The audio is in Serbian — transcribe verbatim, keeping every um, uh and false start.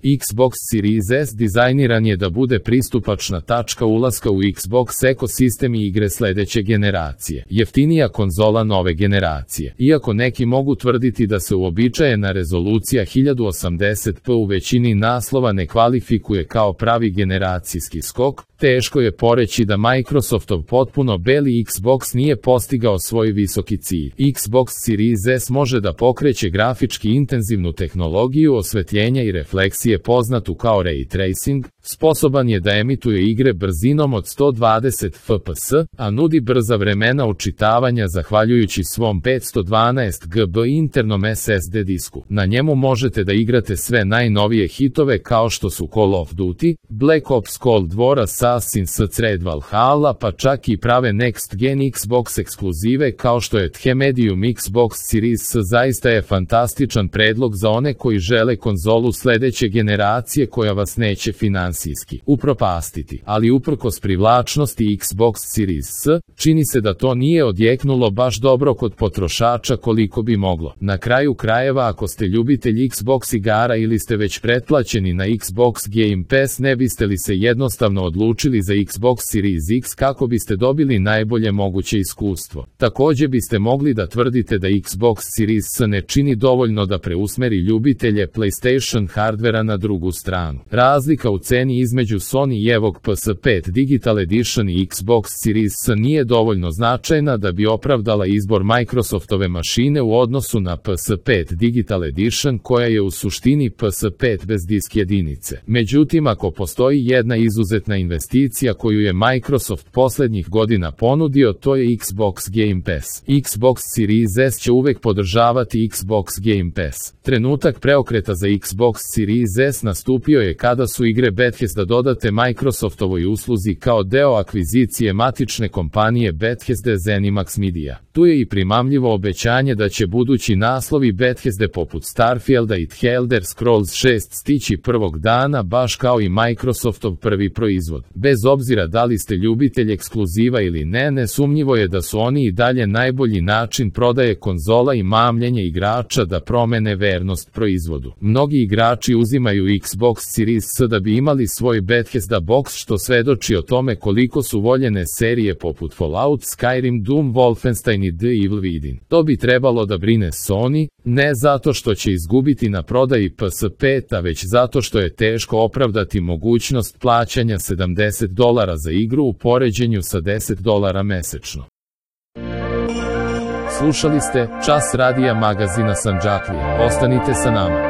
Xbox Series S dizajniran je da bude pristupačna tačka ulaska u Xbox ekosistem i igre sledeće generacije. Jeftinija konzola nove generacije. Iako neki mogu tvrditi da se uobičajena rezolucija hiljadu osamdeset p u većini naslova ne kvalifikuje kao pravi generacijski skok, teško je poreći da Microsoftov potpuno beli Xbox nije postigao svoj visoki cilj. Xbox Series S može da pokreće grafički intenzivnu tehnologiju osvetljenja i refleksije poznatu kao Ray Tracing, sposoban je da emituje igre brzinom od sto dvadeset F P S, a nudi brza vremena učitavanja zahvaljujući svom petsto dvanaest gigabyte internom S S D disku. Na njemu možete da igrate sve najnovije hitove kao što su Call of Duty, Black Ops Cold War, Assassin's Creed Valhalla, pa čak i prave Next Gen Xbox ekskluzive kao što je The Medium. Xbox Series S zaista je fantastičan predlog za one koji žele konzolu sledeće generacije koja vas neće finansijski upropastiti, ali uprkos privlačnosti Xbox Series S, čini se da to nije odjeknulo baš dobro kod potrošača koliko bi moglo. Na kraju krajeva, ako ste ljubitelj Xbox igara ili ste već pretplaćeni na Xbox Game Pass, ne biste li se jednostavno odlučili za Xbox Series X kako biste dobili najbolje moguće iskustvo? Takođe biste mogli da tvrdite da Xbox Series S ne čini dovoljno da preusmeri ljubitelje PlayStation hardvera na drugu stranu. Razlika u ceni između Sony-evog P S pet Digital Edition i Xbox Series S nije dovoljno značajna da bi opravdala izbor Microsoftove mašine u odnosu na P S pet Digital Edition koja je u suštini P S pet bez disk jedinice. Međutim, ako postoji jedna izuzetna investicija koju je Microsoft poslednjih godina ponudio, to je Xbox Game Pass. Xbox Series S će uvek podržavati Xbox Game Pass. Trenutak preokreta za Xbox Series S nastupio je kada su igre Bethesda dodate Microsoftovoj usluzi kao deo akvizicije matične kompanije Bethesda ZeniMax Media. Tu je i primamljivo obećanje da će budući naslovi Bethesde poput Starfielda i The Elder Scrolls šest stići prvog dana, baš kao i Microsoftov prvi proizvod. Bez obzira da li ste ljubitelj ekskluziva ili ne, nesumnjivo je da su oni i dalje najbolji način prodaje konzola i mamljenje igrača da promene vernost proizvodu. Mnogi igrači uzimaju Xbox Series S da bi imali svoj Bethesda box, što svedoči o tome koliko su voljene serije poput Fallout, Skyrim, Doom, Wolfenstein i The Evil Within. To bi trebalo da brine Sony, ne zato što će izgubiti na prodaji P S pet, a već zato što je teško opravdati mogućnost plaćanja sedamdeset dolara za igru u poređenju sa deset dolara mesečno. Slušali ste Čas radija magazina Sandžaklija. Ostanite sa nama.